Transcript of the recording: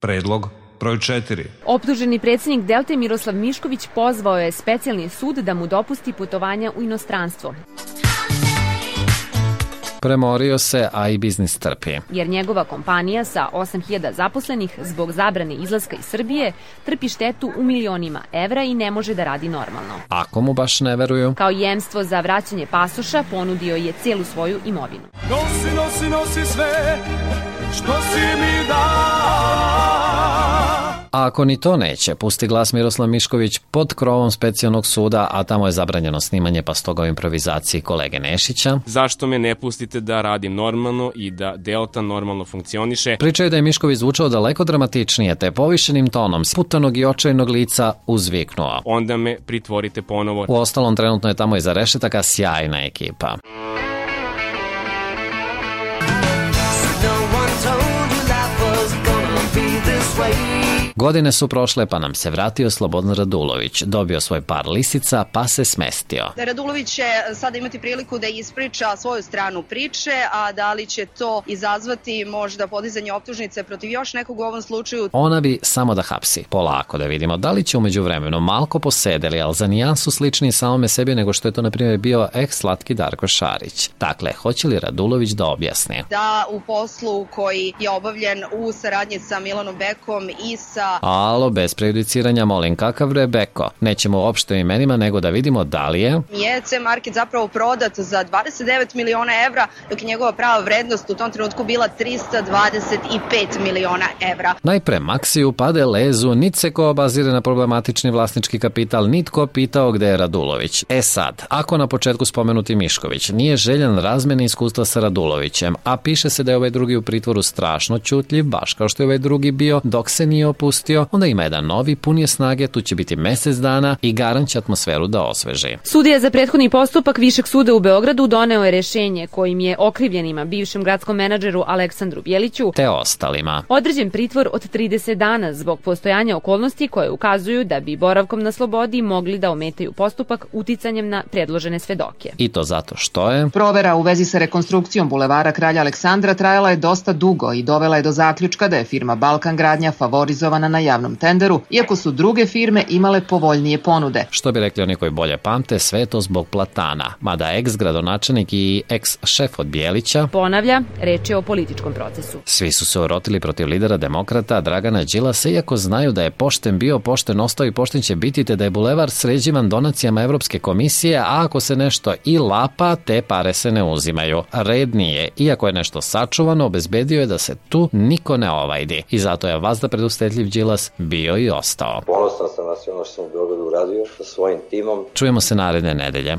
Predlog broj 4. Optuženi predsjednik Delte Miroslav Mišković pozvao je specijalni sud da mu dopusti putovanja u inostranstvo. Premorio se, a i biznis trpi. Jer njegova kompanija sa 8.000 zaposlenih zbog zabrane izlaska iz Srbije trpi štetu u milionima evra i ne može da radi normalno. Ako mu baš ne veruju? Kao jemstvo za vraćanje pasoša ponudio je cijelu svoju imovinu. Nosi, nosi, nosi sve što si mi dao. A ako ni to neće, pusti glas Miroslav Mišković pod krovom specijalnog suda, a tamo je zabranjeno snimanje, pa stoga u improvizaciji kolege Nešića. Zašto me ne pustite da radim normalno i da Delta normalno funkcioniše? Pričaju da je Mišković zvučao daleko dramatičnije, te povišenim tonom sputanog i očajnog lica uzviknuo. Onda me pritvorite ponovo. U ostalom, trenutno je tamo iza rešetaka sjajna ekipa. Godine su prošle, pa nam se vratio Slobodan Radulović. Dobio svoj par lisica, pa se smestio. Radulović će sada imati priliku da ispriča svoju stranu priče, a da li će to izazvati možda podizanje optužnice protiv još nekog u ovom slučaju? Ona bi samo da hapsi. Polako da vidimo da li će umeđu vremenu malko posedeli, ali za nijansu slični samome sebi nego što je to na primjer bio ex-slatki Darko Šarić. Dakle, hoće li Radulović da objasni? Da u poslu koji je obavljen u saradnji sa Milanom Bekom i sa... Alo, bez prejudiciranja, molim, kakav Rebeko? Nećemo uopšte imenima, nego da vidimo da li je C Market zapravo prodat za 29 miliona evra, dok je njegova prava vrednost u tom trenutku bila 325 miliona evra. Najpre Maksiju pade lezu, nit se ko obazire na problematični vlasnički kapital, nitko pitao gde je Radulović. Sad, ako na početku spomenuti Mišković nije željan razmene iskustva sa Radulovićem, a piše se da je ovaj drugi u pritvoru strašno ćutljiv, baš kao što je ovaj drugi bio dok se nije opustio, onda ima jedan novi, pun je snage, tu će biti mesec dana i garant će atmosferu da osveži. Sudija za prethodni postupak Višeg suda u Beogradu doneo je rešenje kojim je okrivljenima, bivšem gradskom menadžeru Aleksandru Bjeliću te ostalima određen pritvor od 30 dana zbog postojanja okolnosti koje ukazuju da bi boravkom na slobodi mogli da ometaju postupak uticanjem na predložene svedoke. I to zato što je provera u vezi sa rekonstrukcijom bulevara Kralja Aleksandra trajala je dosta dugo i dovela je do zaključka da je firma Balkan Gradnja favorizovana na javnom tenderu, iako su druge firme imale povoljnije ponude. Što bi rekli oni koji bolje pamte, sve je to zbog platana, mada ex-gradonačelnik i ex-šef od Bjelića ponavlja, reč je o političkom procesu. Svi su se urotili protiv lidera demokrata Dragana Đilasa, iako znaju da je pošten bio, pošten ostao i pošten će biti, te da je bulevar sređivan donacijama Evropske komisije, a ako se nešto i lapa, te pare se ne uzimaju. Red nije, iako je nešto sačuvano, obezbedio je da se tu niko ne ovajdi. I zato je vazda predustetljiv Đilas bio i ostao. Ponosan sam na sve ono što sam u Beogradu uradio sa svojim timom. Čujemo se naredne nedelje.